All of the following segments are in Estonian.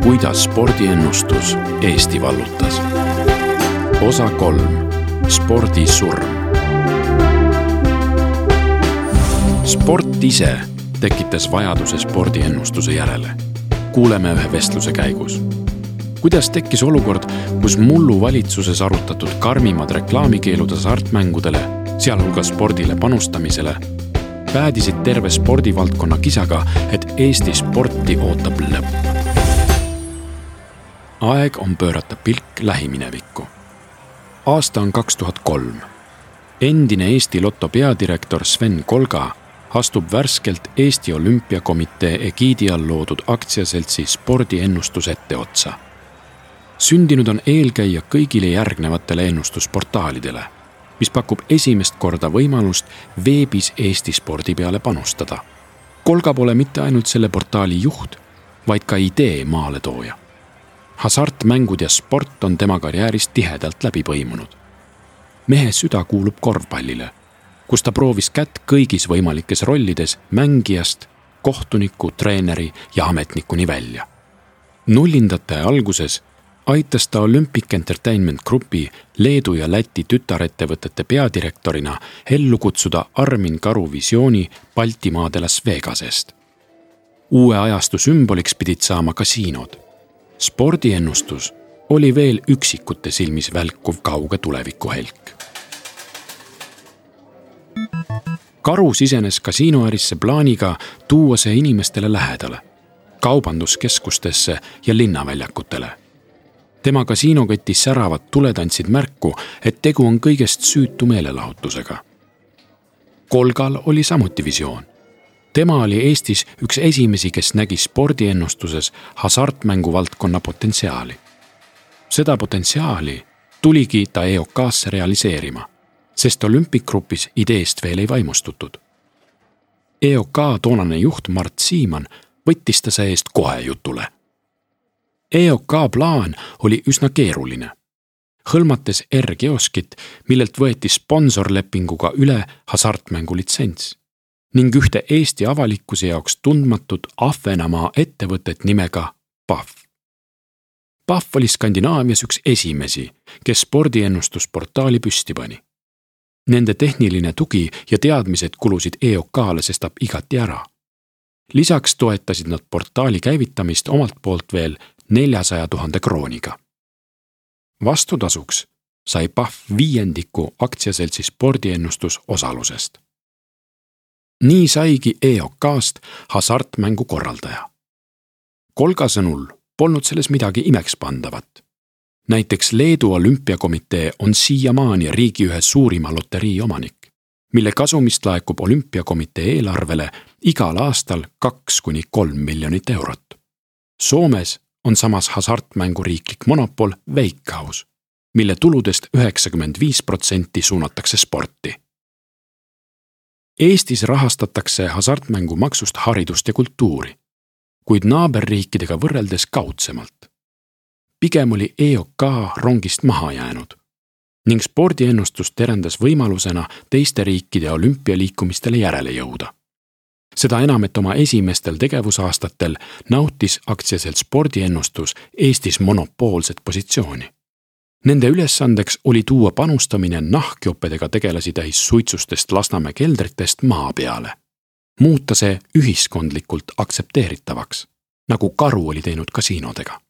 Kuidas spordiennustus Eesti vallutas. Osa 3. Spordisurm. Sport ise tekitas vajaduse spordiennustuse järele. Kuuleme ühe vestluse käigus. Kuidas tekkis olukord, kus mullu valitsuses arutatud karmimad reklaamikeelud hasartmängudele, sealhulgas spordile panustamisele, päädisid terve spordivaldkonna kisaga, et Eesti sporti ootab lõpp. Aeg on pöörata pilk lähiminevikku. Aasta on 2003. Endine Eesti Lotto peadirektor Sven Kolga astub värskelt Eesti Olümpiakomitee egiidi all loodud aktsiaseltsi spordiennustus etteotsa. Sündinud on eelkäija kõigile järgnevatele ennustusportaalidele, mis pakub esimest korda võimalust veebis Eesti spordi peale panustada. Kolga pole mitte ainult selle portaali juht, vaid ka idee maaletooja. Hasartmängud ja sport on tema karjäärist tihedalt läbi põimunud. Mehe süda kuulub korvpallile, kus ta proovis kätt kõigis võimalikes rollides mängijast, kohtuniku, treeneri ja ametnikuni välja. Nullindate alguses aitas ta Olympic Entertainment Groupi Leedu ja Läti tütarettevõtete peadirektorina ellu kutsuda Armin Karu visiooni Baltimaade Las Vegasest. Uue ajastu sümboliks pidid saama kasiinod. Spordiennustus oli veel üksikute silmis välkuv kauge tuleviku helk. Karu sisenes kasiinoärisse plaaniga tuua see inimestele lähedale, kaubanduskeskustesse ja linnaväljakutele. Tema kasiinokoti säravad tuletantsid märku, et tegu on kõigest süütu meelelahutusega. Kolgal oli samuti visioon. Tema oli Eestis üks esimesi, kes nägi spordiennustuses hasartmängu valdkonna potentsiaali. Seda potentsiaali tuligi ta EOK-sse realiseerima, sest Olympic Groupis ideest veel ei vaimustutud. EOK toonane juht Mart Siimann võttis ta see eest kohe jutule. EOK plaan oli üsna keeruline. Hõlmates R-kioskit, millelt võeti sponsorlepinguga üle hasartmängu litsents ning ühte Eesti avalikkuse jaoks tundmatut Ahvenamaa ettevõtet nimega PAF. PAF oli Skandinaavias üks esimesi, kes spordiennustusportaali püsti pani. Nende tehniline tugi ja teadmised kulusid EOK-le sestap igati ära. Lisaks toetasid nad portaali käivitamist omalt poolt veel 400 000 krooniga. Vastutasuks sai PAF 5% aktsiaseltsi spordiennustus osalusest. Nii saigi EOK-st hasartmängu korraldaja. Kolga sõnul polnud selles midagi imekspandavat. Näiteks Leedu Olümpiakomitee on siiamaani riigi ühe suurima loterii omanik, mille kasumist laekub Olümpiakomitee eelarvele igal aastal 2–3 miljonit eurot. Soomes on samas hasartmängu riiklik monopol Veikkaus, mille tuludest 95% suunatakse sporti. Eestis rahastatakse hasartmängu maksust haridust ja kultuuri, kuid naaberriikidega võrreldes kaudsemalt. Pigem oli EOK rongist maha jäänud ning spordiennustus terendas võimalusena teiste riikide olümpialiikumistele järele jõuda. Seda enam, et oma esimestel tegevusaastatel nautis aktsiaselt spordiennustus Eestis monopoolset positsiooni. Nende ülesandeks oli tuua panustamine nahkjopedega tegelasi täis suitsustest Lasnamäe keldritest maa peale. Muuta see ühiskondlikult aktsepteeritavaks, nagu Karu oli teinud kasiinodega.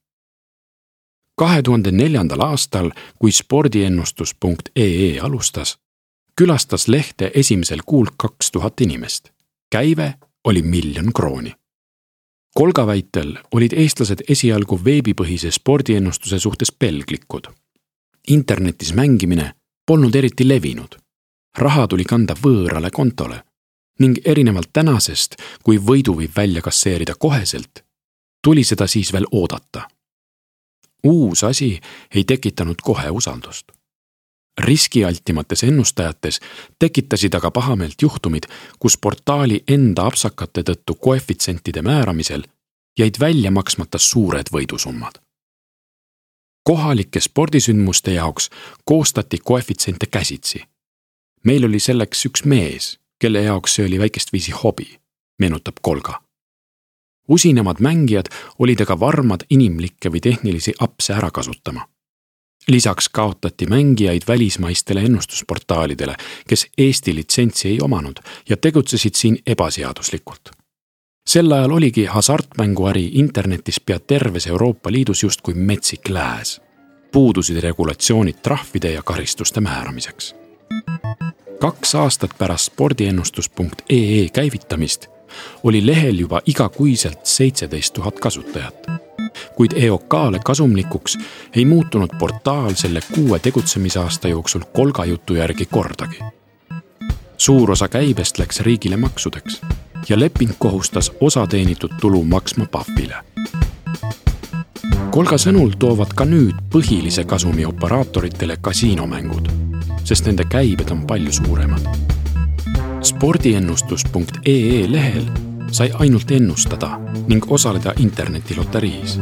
2004. aastal, kui spordiennustus.ee alustas, külastas lehte esimesel kuul 2000 inimest. Käive oli 1 000 000 krooni. Kolga väitel olid eestlased esialgu veebipõhise spordiennustuse suhtes pelglikud. Internetis mängimine polnud eriti levinud. Raha tuli kanda võõrale kontole ning erinevalt tänasest, kui võidu võib välja kasseerida koheselt, tuli seda siis veel oodata. Uus asi ei tekitanud kohe usaldust. Riskialtimates ennustajates tekitasid aga pahameelt juhtumid, kus portaali enda apsakate tõttu koefitsentide määramisel jäid välja maksmata suured võidusummad. Kohalike spordisündmuste jaoks koostati koefitsente käsitsi. Meil oli selleks üks mees, kelle jaoks see oli väikest viisi hobi, meenutab Kolga. Usinemad mängijad olid aga varmad inimlikke või tehnilisi apse ära kasutama. Lisaks kaotati mängijaid välismaistele ennustusportaalidele, kes Eesti litsentsi ei omanud ja tegutsesid siin ebaseaduslikult. Sel ajal oligi hasartmänguäri internetis pea terves Euroopa Liidus justkui metsik lääs. Puudusid regulatsioonid trahvide ja karistuste määramiseks. 2 aastat pärast spordiennustus.ee käivitamist oli lehel juba igakuiselt 17 000 kasutajat. Kuid EOK-le kasumlikuks ei muutunud portaal selle 6 tegutsemisaasta jooksul kolgajutu järgi kordagi. Suur osa käibest läks riigile maksudeks ja leping kohustas osa teenitud tulu maksma PAF-ile. Kolga sõnul toovad ka nüüd põhilise kasumi operaatoritele kasiinomängud, sest nende käibed on palju suuremad. Spordiennustus.ee lehel sai ainult ennustada ning osaleda internetiloteriis.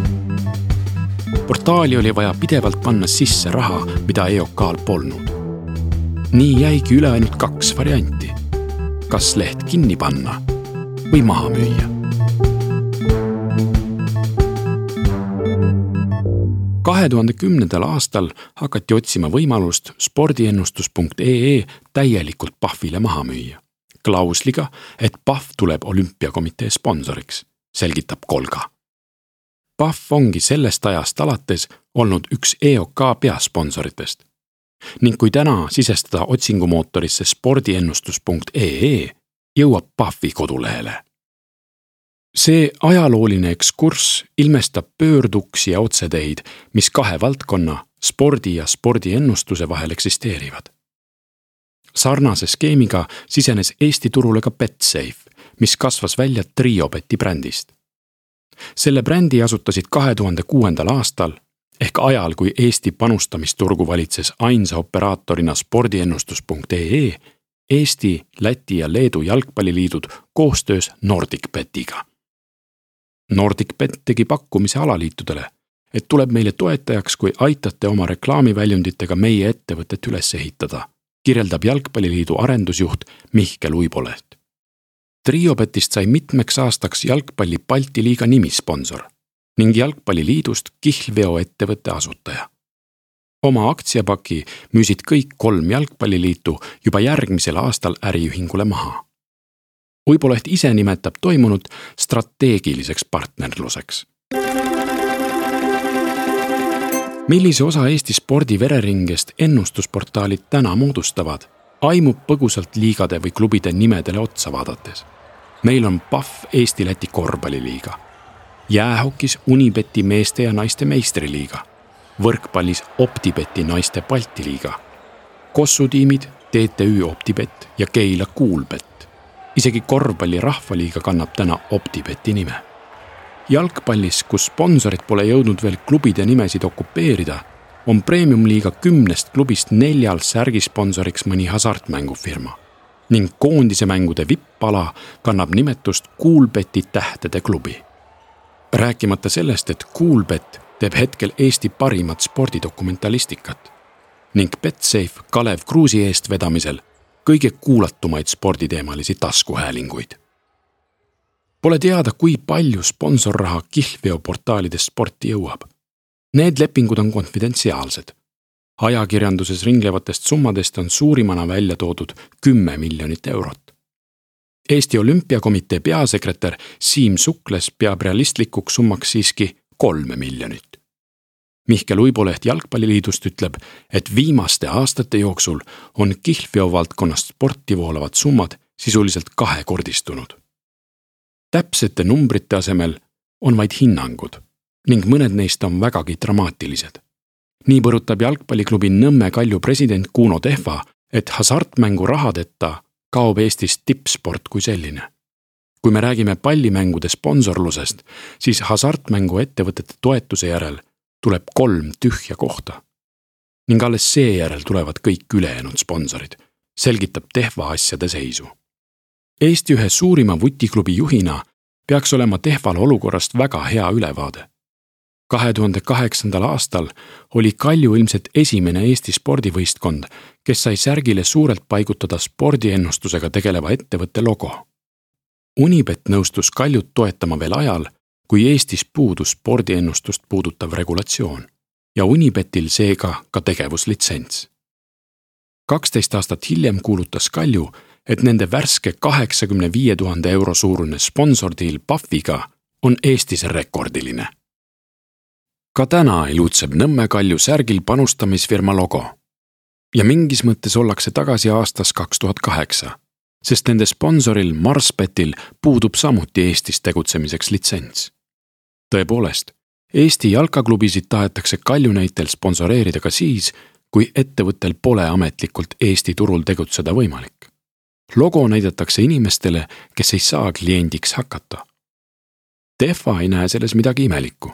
Portaali oli vaja pidevalt panna sisse raha, mida EOK-l polnud. Nii jäigi üle ainult 2 varianti. Kas leht kinni panna või maha müüa. 2010. aastal hakati otsima võimalust spordiennustus.ee täielikult PAF-ile maha müüa. Klausliga, et PAF tuleb olümpiakomitee sponsoriks, selgitab Kolga. PAF ongi sellest ajast alates olnud üks EOK peasponsoritest. Ning kui täna sisestada otsingumootorisse spordiennustus.ee, jõuab PAF-i kodulehele. See ajalooline ekskurss ilmestab pöörduksi ja otseteid, mis 2 valdkonna, spordi ja spordiennustuse vahel eksisteerivad. Sarnase skeemiga sisenes Eesti turule ka Betsafe, mis kasvas välja Triobeti brändist. Selle brändi asutasid 2006. aastal, ehk ajal, kui Eesti panustamisturgu valitses ainsa operaatorina spordiennustus.ee, Eesti, Läti ja Leedu jalgpalliliidud koostöös NordicBetiga. NordicBet tegi pakkumise alaliitudele, et tuleb meile toetajaks, kui aitate oma reklaamiväljunditega meie ettevõtet üles ehitada, kirjeldab jalgpalliliidu arendusjuht Mihkel Uiboleht. Triobetist sai mitmeks aastaks jalgpalli Balti liiga nimisponsor ning jalgpalliliidust kihlveoettevõtte asutaja. Oma aktsiapaki müüsid kõik 3 jalgpalliliitu juba järgmisel aastal äriühingule maha. Uiboleht ise nimetab toimunut strateegiliseks partnerluseks. Millise osa Eesti spordi vereringest ennustusportaalid täna moodustavad, aimub põgusalt liigade või klubide nimedele otsa vaadates. Meil on PAF Eesti-Läti korvpalliliiga, jäähokis Unibeti meeste ja naiste meistriliiga, võrkpallis OpTibeti naiste Balti liiga, kossutiimid TTÜ OpTibet ja Keila Kuulbet. Isegi korvpalli rahvaliiga kannab täna OpTibeti nime. Jalgpallis, kus sponsorid pole jõudnud veel klubide nimesid okupeerida, on premiumliiga 10 klubist 4 särgisponsoriks mõni hasartmängufirma ning koondise mängude vippala kannab nimetust Kuulbeti tähtede klubi. Rääkimata sellest, et Kuulbet teeb hetkel Eesti parimat spordidokumentalistikat ning Betsafe Kalev Kruusi eest vedamisel kõige kuulatumaid sporditeemalisi taskuhäälinguid. Pole teada, kui palju sponsorraha kihlveoportaalidest sporti jõuab. Need lepingud on konfidentsiaalsed. Ajakirjanduses ringlevatest summadest on suurimana välja toodud 10 miljonit eurot. Eesti Olümpiakomitee peasekretär Siim Sukles peab realistlikuks summaks siiski 3 miljonit. Mihkel Uiboleht Jalgpalliliidust ütleb, et viimaste aastate jooksul on kihlveo valdkonnast sporti voolavad summad sisuliselt 2-kordistunud. Täpsete numbrite asemel on vaid hinnangud ning mõned neist on vägagi dramaatilised. Nii põrutab jalgpalliklubi Nõmme Kalju president Kuno Tehva, et hasartmängu rahadeta kaob Eestis tippsport kui selline. Kui me räägime pallimängude sponsorlusest, siis hasartmängu ettevõtete toetuse järel tuleb 3 tühja kohta. Ning alles seejärel tulevad kõik ülejäänud sponsorid, selgitab Tehva asjade seisu. Eesti ühe suurima vutiklubi juhina peaks olema Tehval olukorrast väga hea ülevaade. 2008. aastal oli Kalju ilmselt esimene Eesti spordivõistkond, kes sai särgile suurelt paigutada spordiennustusega tegeleva ettevõtte logo. Unibet nõustus Kaljut toetama veel ajal, kui Eestis puudus spordiennustust puudutav regulatsioon ja Unibetil seega ka tegevuslitsents. 12 aastat hiljem kuulutas Kalju, et nende värske 85 000 euro suurune sponsordiil Pahviga on Eestis rekordiline. Ka täna ilutseb Nõmme Kalju särgil panustamisfirma logo. Ja mingis mõttes ollakse tagasi aastas 2008, sest nende sponsoril Marsbetil puudub samuti Eestis tegutsemiseks litsents. Tõepoolest, Eesti jalkaklubisid tahetakse Kalju näitel sponsoreerida ka siis, kui ettevõttel pole ametlikult Eesti turul tegutseda võimalik. Logo näidatakse inimestele, kes ei saa kliendiks hakata. Tehva ei näe selles midagi imelikku.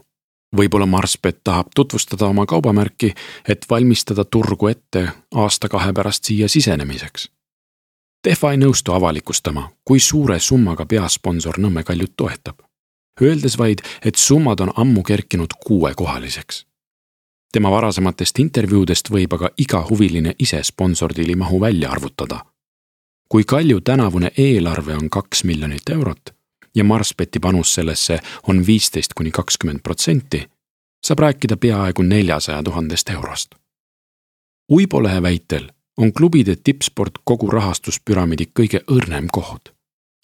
Võib-olla Marsbet tahab tutvustada oma kaubamärki, et valmistada turgu ette aasta-2 pärast siia sisenemiseks. Tehva ei nõustu avalikustama, kui suure summaga peasponsor Nõmme Kaljut toetab, öeldes vaid, et summad on ammu kerkinud 6-kohaliseks. Tema varasematest intervjuudest võib aga iga huviline ise sponsordiili mahu välja arvutada. Kui Kalju tänavune eelarve on 2 miljonit eurot ja Marsbeti panus sellesse on 15–20%, saab rääkida peaaegu 400 000 eurost. Uibolehe väitel on klubide tippsport kogu rahastuspüramiidi kõige õrnem koht,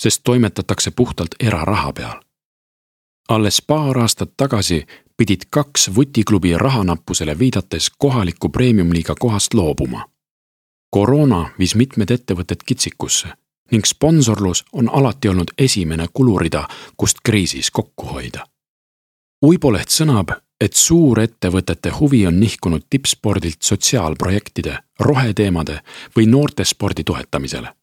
sest toimetatakse puhtalt eraraha peal. Alles paar aastat tagasi pidid 2 vutiklubi rahanappusele viidates kohaliku premiumliiga kohast loobuma. Koroona viis mitmed ettevõtted kitsikusse ning sponsorlus on alati olnud esimene kulurida, kust kriisis kokku hoida. Uiboleht sõnab, et suurettevõtete huvi on nihkunud tippspordilt sotsiaalprojektide, roheteemade või noortespordi toetamisele.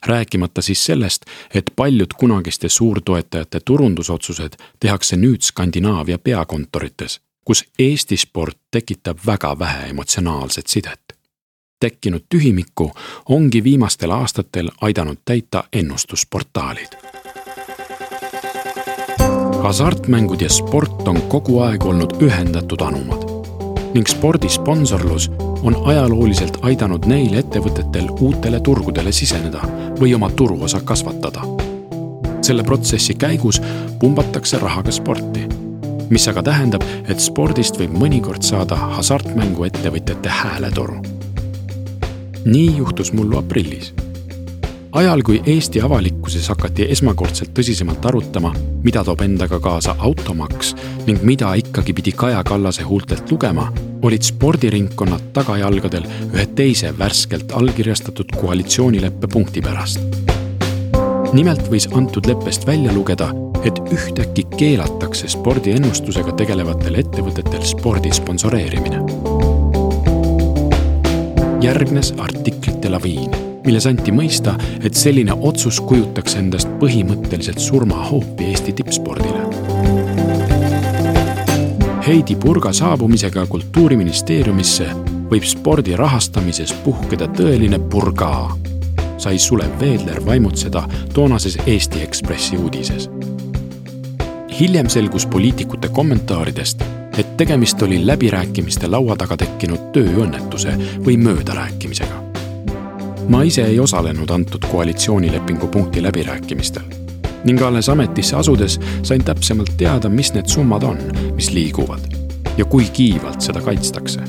Rääkimata siis sellest, et paljud kunagiste suurtoetajate turundusotsused tehakse nüüd Skandinaavia peakontorites, kus Eesti sport tekitab väga vähe emotsionaalset sidet. Tekkinud tühimikku ongi viimastel aastatel aidanud täita ennustusportaalid. Hasartmängud ja sport on kogu aeg olnud ühendatud anumad ning spordisponsorlus on ajalooliselt aidanud neil ettevõtetel uutele turgudele siseneda või oma turuosa kasvatada. Selle protsessi käigus pumbatakse rahaga sporti, mis aga tähendab, et spordist võib mõnikord saada hasartmängu ettevõtjate hääletoru. Nii juhtus mullu aprillis. Ajal, kui Eesti avalikkuses hakati esmakordselt tõsisemalt arutama, mida toob endaga kaasa automaks ning mida ikkagi pidi Kaja Kallase huultelt lugema, olid spordiringkonnad tagajalgadel ühe teise värskelt allkirjastatud koalitsioonileppe punkti pärast. Nimelt võis antud leppest välja lugeda, et ühtäkki keelatakse spordiennustusega tegelevatel ettevõtetel spordi sponsoreerimine. Järgnes artiklite laviin, milles anti mõista, et selline otsus kujutaks endast põhimõtteliselt surmahoopi Eesti tippspordile. Heidi Purga saabumisega Kultuuriministeeriumisse võib spordi rahastamises puhkeda tõeline purgaa, sai Sulev Veedler vaimutseda toonases Eesti Ekspressi uudises. Hiljem selgus poliitikute kommentaaridest, et tegemist oli läbirääkimiste laua taga tekkinud tööõnnetuse või möödarääkimisega. Ma ise ei osalenud antud koalitsioonilepingu punkti läbirääkimistel ning alles ametisse asudes sain täpsemalt teada, mis need summad on, mis liiguvad ja kui kiivalt seda kaitstakse.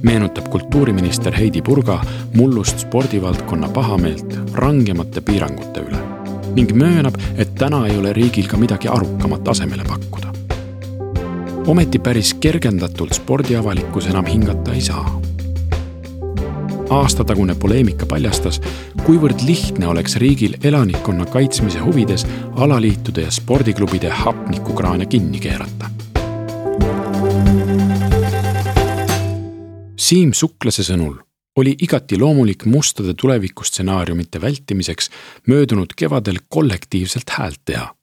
Meenutab kultuuriminister Heidi Purga mullust spordivaldkonna pahameelt rangemate piirangute üle ning möönab, et täna ei ole riigil ka midagi arukamat asemele pakkuda. Ometi päris kergendatult spordiavalikkus enam hingata ei saa. Aastatagune poleemika paljastas, kuivõrd lihtne oleks riigil elanikkonna kaitsmise huvides alaliitude ja spordiklubide hapnikukraane kinni keerata. Siim Suklase sõnul oli igati loomulik mustade tulevikustsenaariumite vältimiseks möödunud kevadel kollektiivselt häält teha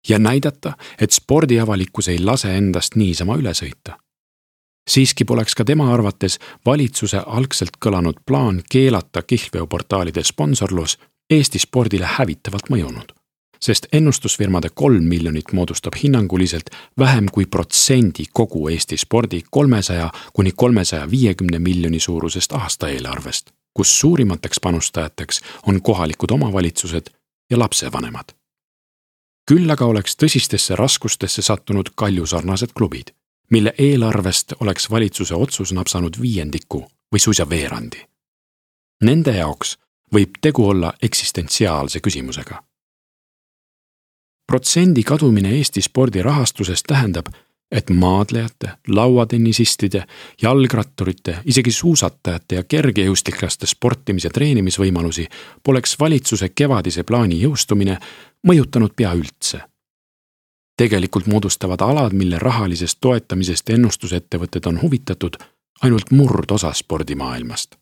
ja näidata, et spordiavalikkus ei lase endast niisama üle sõita. Siiski poleks ka tema arvates valitsuse algselt kõlanud plaan keelata kihlveoportaalide sponsorlus Eesti spordile hävitavalt mõjunud, sest ennustusfirmade 3 miljonit moodustab hinnanguliselt vähem kui protsendi kogu Eesti spordi 300–350 miljoni suurusest aastaeelarvest, kus suurimateks panustajateks on kohalikud omavalitsused ja lapsevanemad. Küll aga oleks tõsistesse raskustesse sattunud Kalju-sarnased klubid, mille eelarvest oleks valitsuse otsus napsanud 5% või suisa veerandi. Nende jaoks võib tegu olla eksistentsiaalse küsimusega. Protsendi kadumine Eesti spordi rahastusest tähendab, et maadlejate, lauatennisistide, jalgratturite, isegi suusatajate ja kergejõustiklaste sportimise treenimisvõimalusi poleks valitsuse kevadise plaani jõustumine mõjutanud pea üldse. Tegelikult moodustavad alad, mille rahalisest toetamisest ennustusettevõtted on huvitatud, ainult murdosa spordimaailmast.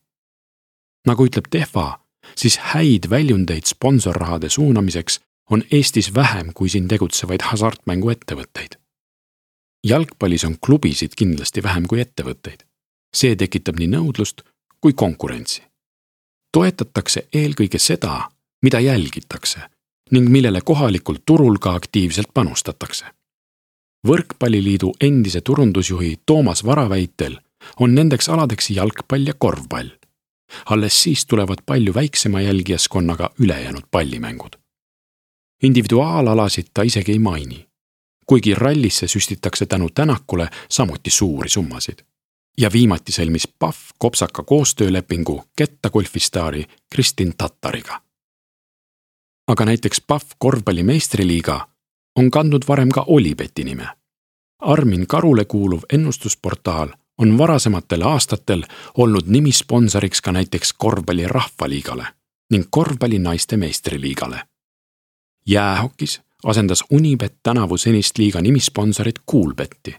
Nagu ütleb Tehva, siis häid väljundeid sponsorrahade suunamiseks on Eestis vähem kui siin tegutsevaid hasartmänguettevõtteid. Jalgpallis on klubisid kindlasti vähem kui ettevõtteid. See tekitab nii nõudlust kui konkurentsi. Toetatakse eelkõige seda, mida jälgitakse ning millele kohalikul turul ka aktiivselt panustatakse. Võrkpalliliidu endise turundusjuhi Toomas Vara väitel on nendeks aladeks jalgpall ja korvpall. Alles siis tulevad palju väiksema jälgijaskonnaga ülejäänud pallimängud. Individuaalalasid ta isegi ei maini, kuigi rallisse süstitakse tänu Tänakule samuti suuri summasid. Ja viimati sõlmis PAF kopsaka koostöölepingu kettagolfistaari Kristin Tattariga. Aga näiteks PAF korvpalli meistriliiga on kandnud varem ka Olibeti nime. Armin Karule kuuluv ennustusportaal on varasematel aastatel olnud nimisponsoriks ka näiteks korvpalli rahvaliigale ning korvpalli naiste meistriliigale. Jäähokis asendas Unibet tänavu senist liiga nimisponsorit Coolbetti,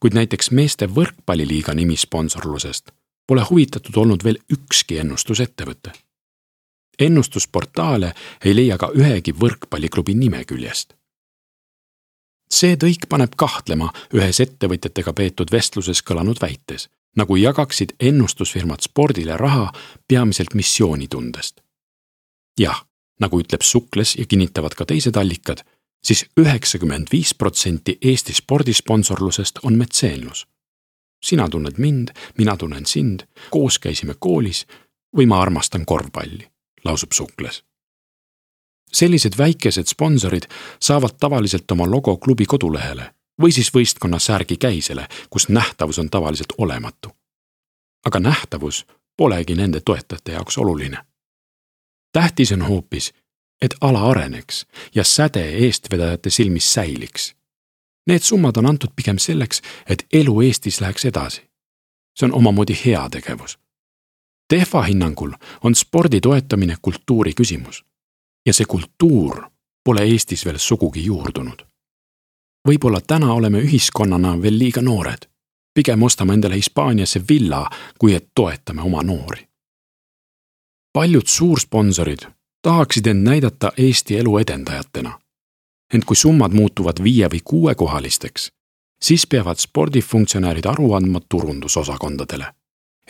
kuid näiteks meeste võrkpalliliiga nimisponsorlusest pole huvitatud olnud veel ükski ennustusettevõte. Ennustusportaale ei leia ka ühegi võrkpalliklubi nimeküljest. See tõik paneb kahtlema ühes ettevõtjatega peetud vestluses kõlanud väites, nagu jagaksid ennustusfirmad spordile raha peamiselt missioonitundest. Jah, nagu ütleb Sukles ja kinnitavad ka teised allikad, siis 95% Eesti spordisponsorlusest on metseenlus. Sina tunned mind, mina tunnen sind, koos käisime koolis või ma armastan korvpalli, lausub Sukles. Sellised väikesed sponsorid saavad tavaliselt oma logo klubi kodulehele või siis võistkonna särgi käisele, kus nähtavus on tavaliselt olematu. Aga nähtavus polegi nende toetajate jaoks oluline. Tähtis on hoopis, et ala areneks ja säde eestvedajate silmis säiliks. Need summad on antud pigem selleks, et elu Eestis läheks edasi. See on omamoodi hea tegevus. Tehva hinnangul on spordi toetamine kultuuri küsimus. Ja see kultuur pole Eestis veel sugugi juurdunud. Võib-olla täna oleme ühiskonnana veel liiga noored. Pigem ostame endale Hispaaniasse villa, kui et toetame oma noori. Paljud suursponsorid tahaksid end näidata Eesti elu edendajatena. Ent kui summad muutuvad 5 või 6 kohalisteks, siis peavad spordifunktsionäärid aru andma turundusosakondadele,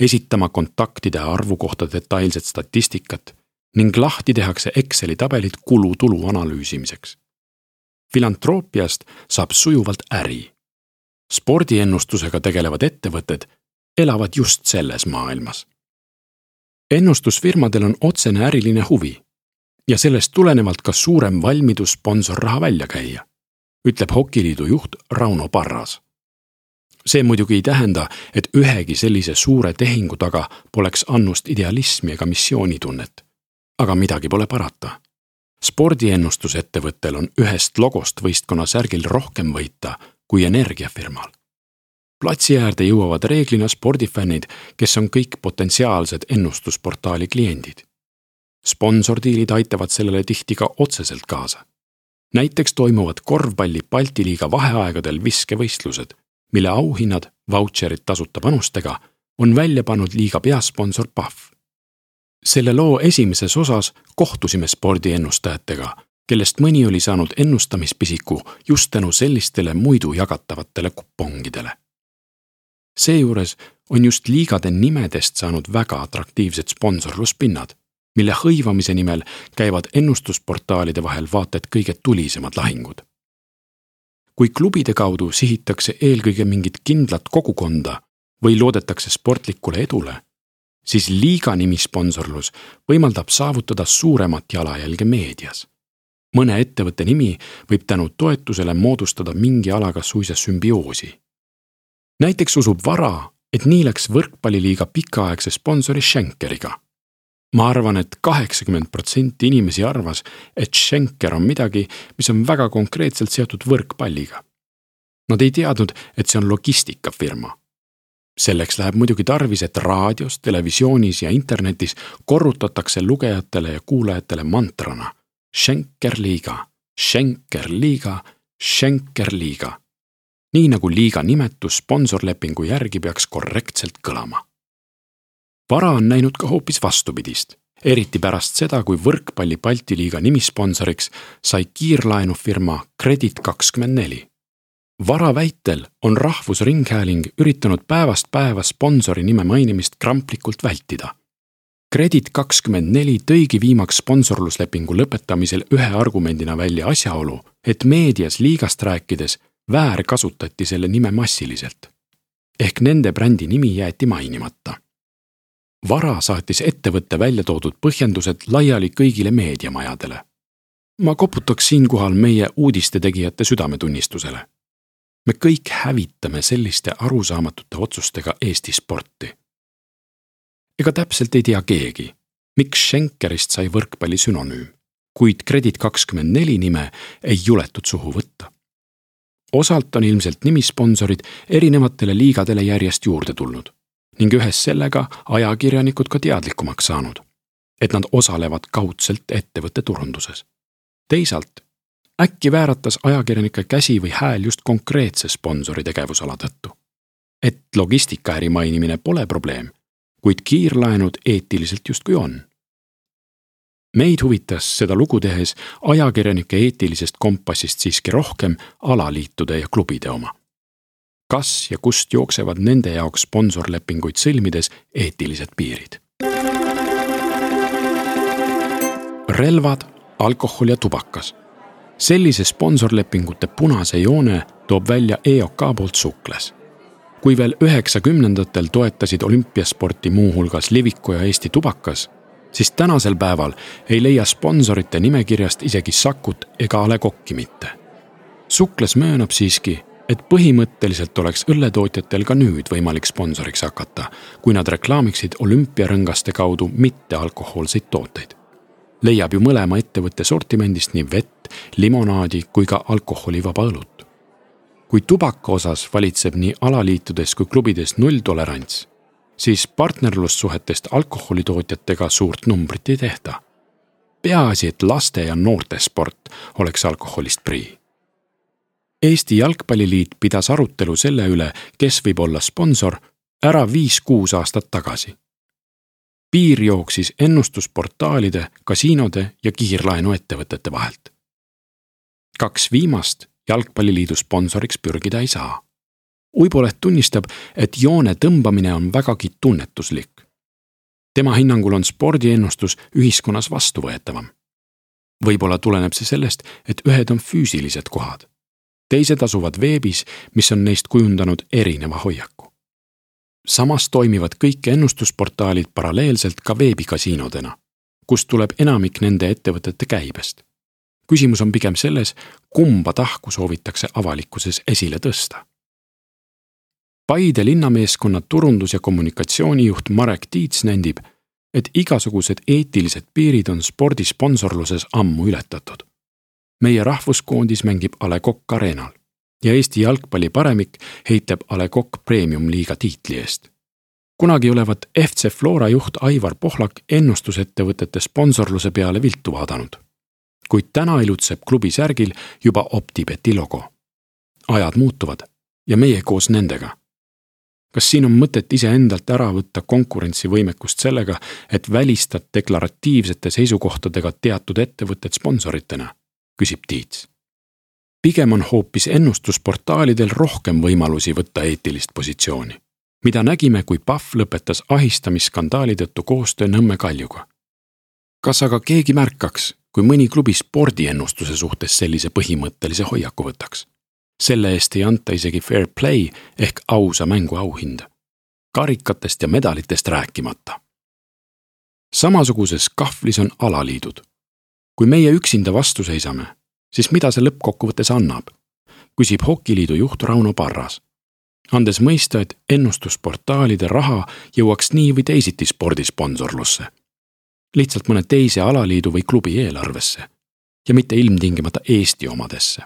esitama kontaktide arvu kohta detailset statistikat ning lahti tehakse Exceli tabelid kulu-tulu analüüsimiseks. Filantroppiast saab sujuvalt äri. Spordiennustusega tegelevad ettevõtted elavad just selles maailmas. Ennustusfirmadel on otsene äriline huvi ja sellest tulenevalt ka suurem valmidus sponsorraha välja käia, ütleb Hokiliidu juht Rauno Parras. See muidugi ei tähenda, et ühegi sellise suure tehingu taga poleks annust idealismi ega missioonitunnet. Aga midagi pole parata. Spordiennustusettevõttel on ühest logost võistkonna särgil rohkem võita kui energiafirmal. Platsi äärde jõuavad reeglina spordifännid, kes on kõik potentsiaalsed ennustusportaali kliendid. Sponsordiilid aitavad sellele tihti ka otseselt kaasa. Näiteks toimuvad korvpalli Balti liiga vaheaegadel viskevõistlused, mille auhinnad, vautšerid tasuta panustega, on välja pannud liiga peasponsor PAF. Selle loo esimeses osas kohtusime spordiennustajatega, kellest mõni oli saanud ennustamispisiku just tänu sellistele muidu jagatavatele kupongidele. Seejuures on just liigade nimedest saanud väga atraktiivsed sponsorluspinnad, mille hõivamise nimel käivad ennustusportaalide vahel vaata et kõige tulisemad lahingud. Kui klubide kaudu sihitakse eelkõige mingit kindlat kogukonda või loodetakse sportlikule edule, siis liiga nimisponsorlus võimaldab saavutada suuremat jalajälge meedias. Mõne ettevõtte nimi võib tänu toetusele moodustada mingi alaga suisa sümbioosi. Näiteks usub Vara, et nii läks võrkpalliliiga pikaaegse sponsori Schenkeriga. Ma arvan, et 80% inimesi arvas, et Schenker on midagi, mis on väga konkreetselt seotud võrkpalliga. Nad ei teadnud, et see on logistikafirma. Selleks läheb muidugi tarvis, et raadios, televisioonis ja internetis korrutatakse lugejatele ja kuulajatele mantrana Schenkerliiga, Schenkerliiga, Schenkerliiga. Nii nagu liiga nimetus sponsorlepingu järgi peaks korrektselt kõlama. Vara on näinud ka hoopis vastupidist, eriti pärast seda, kui võrkpalli Balti liiga nimisponsoriks sai kiirlaenufirma Credit24. Vara väitel on Rahvusringhääling üritanud päevast päeva sponsori nime mainimist kramplikult vältida. Credit24 tõigi viimaks sponsorluslepingu lõpetamisel ühe argumendina välja asjaolu, et meedias liigast rääkides väärkasutati selle nime massiliselt. Ehk nende brändi nimi jäeti mainimata. Vara saatis ettevõtte välja toodud põhjendused laiali kõigile meediamajadele. Ma koputaks siinkohal meie uudistetegijate südametunnistusele. Me kõik hävitame selliste arusaamatute otsustega Eesti sporti. Ega täpselt ei tea keegi, miks Schenkerist sai võrkpalli sünonüüm, kuid Credit24 nime ei juletud suhu võtta. Osalt on ilmselt nimisponsorid erinevatele liigadele järjest juurde tulnud ning ühes sellega ajakirjanikud ka teadlikumaks saanud, et nad osalevad kaudselt ettevõtte turunduses. Teisalt, äkki vääratas ajakirjanike käsi või hääl just konkreetse sponsori tegevusala tõttu. Et logistikaäri mainimine pole probleem, kuid kiirlaenud eetiliselt justkui on. Meid huvitas seda lugu tehes ajakirjanike eetilisest kompassist siiski rohkem alaliitude ja klubide oma. Kas ja kust jooksevad nende jaoks sponsorlepinguid sõlmides eetilised piirid? Relvad, alkohol ja tubakas. Sellise sponsorlepingute punase joone toob välja EOK poolt Sukles. Kui veel 90-ndatel toetasid olümpiasporti muuhulgas Liviko ja Eesti tubakas, siis tänasel päeval ei leia sponsorite nimekirjast isegi Sakut ega A. Le Coq'i mitte. Sukles möönab siiski, et põhimõtteliselt oleks õlletootjatel ka nüüd võimalik sponsoriks hakata, kui nad reklaamiksid olümpiarõngaste kaudu mitte alkohoolseid tooteid. Leiab ju mõlema ettevõtte sortimendist nii vett, limonaadi kui ka alkoholivaba õlut. Kui tubaka osas valitseb nii alaliitudes kui klubides nulltolerants, siis partnerlussuhetest alkoholitootjatega suurt numbrit ei tehta. Peaasi, et laste ja noorte sport oleks alkoholist prii. Eesti Jalgpalliliit pidas arutelu selle üle, kes võib olla sponsor, ära 5-6 aastat tagasi. Piir jooksis ennustusportaalide, kasiinode ja kiirlaenuettevõtete vahelt. 2 viimast Jalgpalliliidu sponsoriks pürgida ei saa. Uiboleht tunnistab, et joone tõmbamine on vägagi tunnetuslik. Tema hinnangul on spordiennustus ühiskonnas vastuvõetavam. Võib-olla tuleneb see sellest, et ühed on füüsilised kohad. Teised asuvad veebis, mis on neist kujundanud erineva hoiaku. Samas toimivad kõik ennustusportaalid paralleelselt ka veebikasiinodena, kust tuleb enamik nende ettevõtete käibest. Küsimus on pigem selles, kumba tahku soovitakse avalikkuses esile tõsta. Paide linnameeskonna turundus- ja kommunikatsioonijuht Marek Tiits nendib, et igasugused eetilised piirid on spordisponsorluses ammu ületatud. Meie rahvuskoondis mängib A. Le Coq Arenal ja Eesti jalgpalli paremik heitleb A. Le Coq Premium-liiga tiitli eest. Kunagi olevat FC Flora juht Aivar Pohlak ennustusettevõtete sponsorluse peale viltu vaadanud. Kuid täna ilutseb klubi särgil juba OpTibeti logo. Ajad muutuvad ja meie koos nendega. Kas siin on mõtet iseendalt ära võtta konkurentsivõimekust sellega, et välistad deklaratiivsete seisukohtadega teatud ettevõtted sponsoritena, küsib Tiits. Pigem on hoopis ennustusportaalidel rohkem võimalusi võtta eetilist positsiooni, mida nägime, kui PAF lõpetas ahistamisskandaali tõttu koostöö Nõmme Kaljuga. Kas aga keegi märkaks, kui mõni klubi spordiennustuse suhtes sellise põhimõttelise hoiaku võtaks? Selle eest ei anta isegi fair play ehk ausa mängu auhinda. Karikatest ja medalitest rääkimata. Samasuguses kahvlis on alaliidud. Kui meie üksinda vastu seisame, siis mida see lõppkokkuvõttes annab? Küsib Hokiliidu juht Rauno Parras, andes mõista, et ennustusportaalide raha jõuaks nii või teisiti spordisponsorlusse. Lihtsalt mõne teise alaliidu või klubi eelarvesse ja mitte ilmtingimata Eesti omadesse.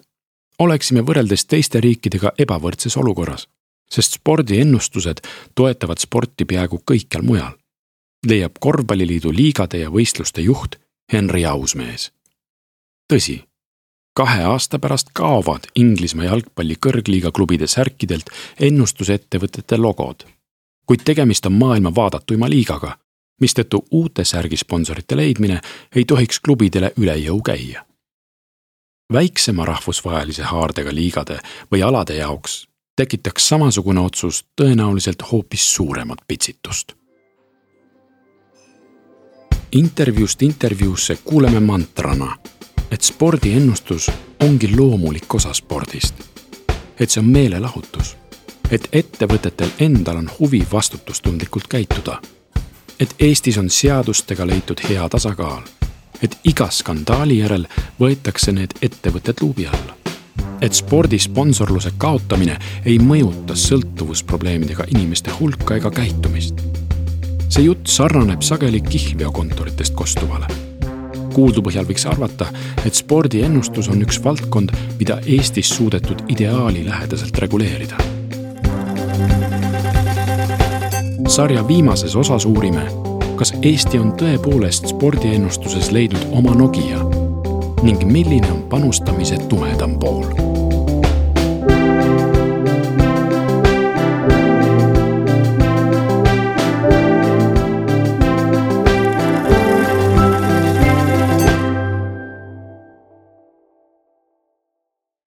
Oleksime võrreldes teiste riikidega ebavõrdses olukorras, sest spordiennustused toetavad sporti peaaegu kõikjal mujal, leiab korvpalliliidu liigade ja võistluste juht Henri Ausmees. Tõsi, 2 aasta pärast kaovad Inglismaa jalgpalli kõrgliiga klubide särkidelt ennustusettevõtete logod, kuid tegemist on maailma vaadatuima liigaga, mistõttu uute särgisponsorite leidmine ei tohiks klubidele üle jõu käia. Väiksema rahvusvahelise haardega liigade või alade jaoks tekitaks samasugune otsus tõenäoliselt hoopis suuremat pitsitust. Intervjuust intervjuusse kuuleme mantrana, et spordiennustus ongi loomulik osa spordist. Et see on meelelahutus. Et ettevõtetel endal on huvi vastutustundlikult käituda. Et Eestis on seadustega leitud hea tasakaal. Et iga skandaali järel võetakse need ettevõtted luubi alla. Et spordisponsorluse kaotamine ei mõjuta sõltuvusprobleemidega inimeste hulka ega käitumist. See jutt sarnaneb sageli kihlveokontoritest kostuvale. Kuuldu põhjal võiks arvata, et spordiennustus on üks valdkond, mida Eestis suudetud ideaali lähedaselt reguleerida. Sarja viimases osas uurime, kas Eesti on tõepoolest spordiennustuses leidnud oma Nokia ning milline on panustamise tumedam pool.